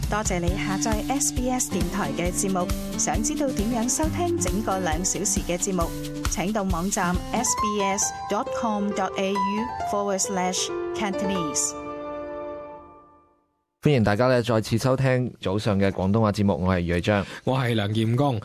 多謝你下載 SBS 電台嘅節目。想知道點樣收聽整個2小時嘅節目，請到網站 sbs.com.au/Cantonese。歡迎大家再次收聽早上嘅廣東話節目，我係余偉章，我係梁彥剛。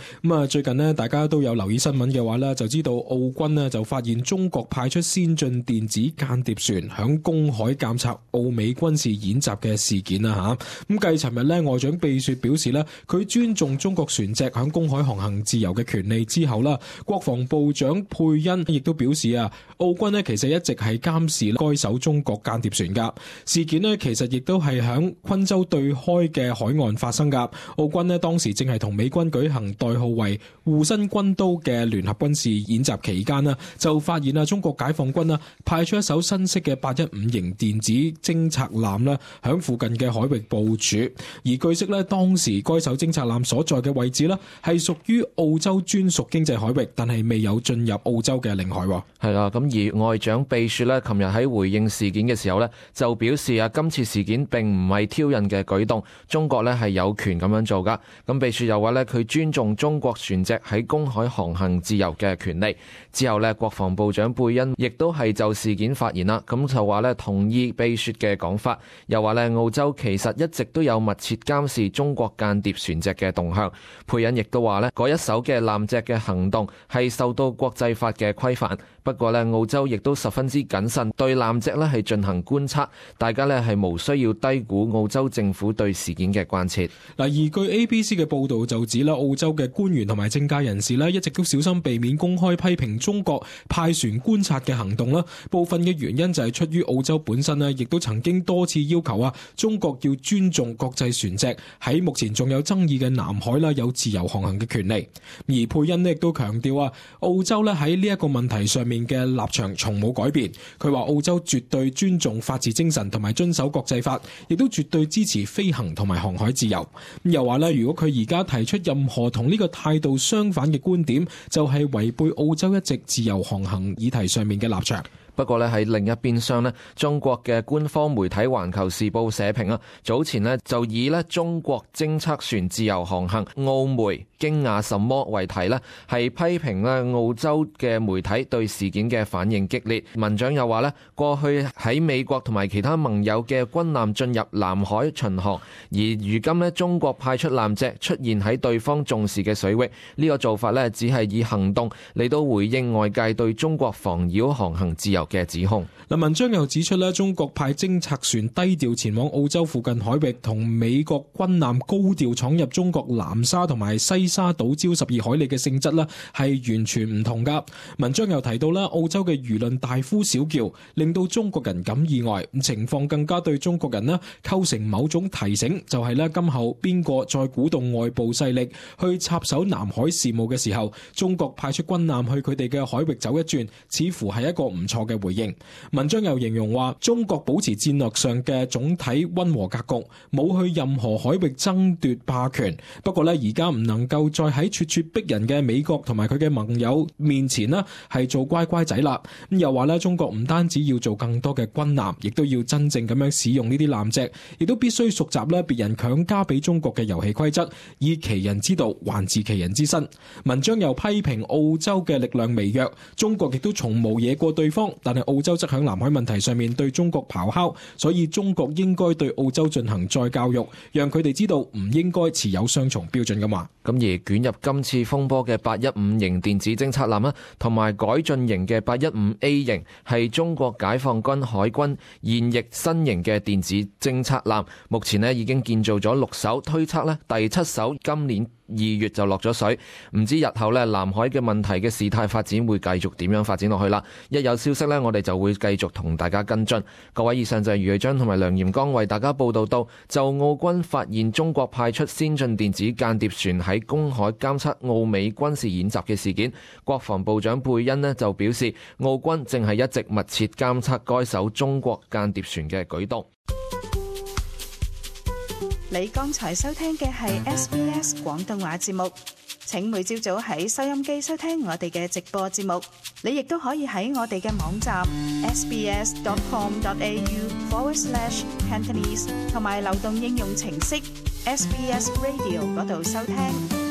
最近大家都有留意新聞嘅話就知道澳軍就發現中國派出先進電子間諜船響公海監察澳美軍事演習嘅事件啦吓。繼尋日外長貝雪表示佢尊重中國船隻響公海航行自由嘅權利之後國防部長佩恩亦都表示澳軍其實一直係監視該艘中國間諜船噶。事件其實亦都係響昆州對開嘅海岸發生噶。澳軍當時正係同美軍舉行代號為護身軍刀嘅聯合軍事演習期間就發現中國解放軍派出一艘新式嘅815型電子偵察艦響附近嘅海域部署。而據悉當時該艘偵察艦所在嘅位置係屬於澳洲專屬經濟海域，但係未有進入澳洲嘅領海。係啦，咁而外長貝雪琴日喺回應事件嘅時候就表示今次事件並唔係挑釁嘅舉動，中國係有權咁樣做噶。咁貝雪又話佢尊重中國船隻喺公海航行自由嘅權利。之後國防部長貝恩亦都係就事件發言啦，咁就話同意貝雪嘅講法，又話澳洲其實一直都有密切監視中國間諜船隻嘅動向。貝恩亦都話嗰一艘嘅艦隻嘅行動係受到國際法嘅規範，不過澳洲亦都十分之謹慎對艦隻係進行觀察，大家係無需要低估澳洲政府對事件嘅關切。而據 ABC 嘅報道就指澳洲嘅官員同埋政界人士一直都小心避免公開批評中國派船觀察嘅行動。部分嘅原因就係出於澳洲本身亦都曾經多次要求中國要尊重國際船隻喺目前仲有爭議嘅南海有自由航行嘅權利。而佩恩亦都強調澳洲喺呢一個問題上面嘅立場從冇改變。佢話澳洲絕對尊重法治精神同埋遵守國際法，亦都絕對支持飛行同埋航海自由。又話如果佢而家提出任何同呢個態度相反嘅觀點，就係違背澳洲一直自由航行議題上面嘅立場。不過喺另一邊廂中國嘅官方媒體《環球時報》社評早前就以中國偵測船自由航行，澳媒驚訝什麼為題係批評澳洲嘅媒體對事件嘅反應激烈。文章又話過去喺美國同埋其他盟友嘅軍艦進入南海巡航，而如今中國派出艦隻出現喺對方重視嘅水域，呢個做法只係以行動嚟到回應外界對中國妨擾航行自由嘅指控。文章又指出中國派偵察船低調前往澳洲附近海域，同美國軍艦高調闖入中國南沙同埋西沙島礁12海里嘅性質係完全唔同噶。文章又提到澳洲嘅輿論大呼小叫，令到中國人感意外，情況更加對中國人構成某種提醒，就係今後邊個再鼓動外部勢力去插手南海事務嘅時候，中國派出軍艦去佢哋嘅海域走一轉，似乎係一個唔錯嘅回應。文章又形容話，中國保持戰略上嘅總體溫和格局，冇去任何海域爭奪霸權。不過而家唔能夠再喺咄咄逼人嘅美國同埋佢嘅盟友面前係做乖乖仔啦。咁又話中國唔單止要做更多嘅軍艦，亦都要真正咁樣使用呢啲艦隻，亦都必須熟習別人強加俾中國嘅遊戲規則，以其人之道還治其人之身。文章又批評澳洲嘅力量微弱，中國亦都從無惹過對方，但係澳洲則響南海問題上面對中國咆哮，所以中國應該對澳洲進行再教育，讓佢哋知道唔應該持有雙重標準㗎嘛。咁而捲入今次風波嘅815型電子偵察艦同埋改進型嘅815A型，係中國解放軍海軍現役新型嘅電子偵察艦，目前已經建造咗6艘，推測第7艘今年2月就落咗水。唔知日後南海嘅問題嘅事態發展會繼續點樣發展落去啦。一有消息我哋就會繼續同大家跟進。各位，以上就係余偉章同埋梁彥剛為大家報道到，就澳軍發現中國派出先進電子間諜船喺公海監測澳美軍事演習嘅事件，國防部長貝恩就表示，澳軍正係一直密切監測該艘中國間諜船嘅舉動。你剛才收聽嘅係 SBS 廣東話節目，請每朝早喺收音機收聽我哋嘅直播節目。你亦都可以喺我哋嘅網站 sbs.com.au/Cantonese 同埋流動應用程式 SBS Radio 嗰度收聽。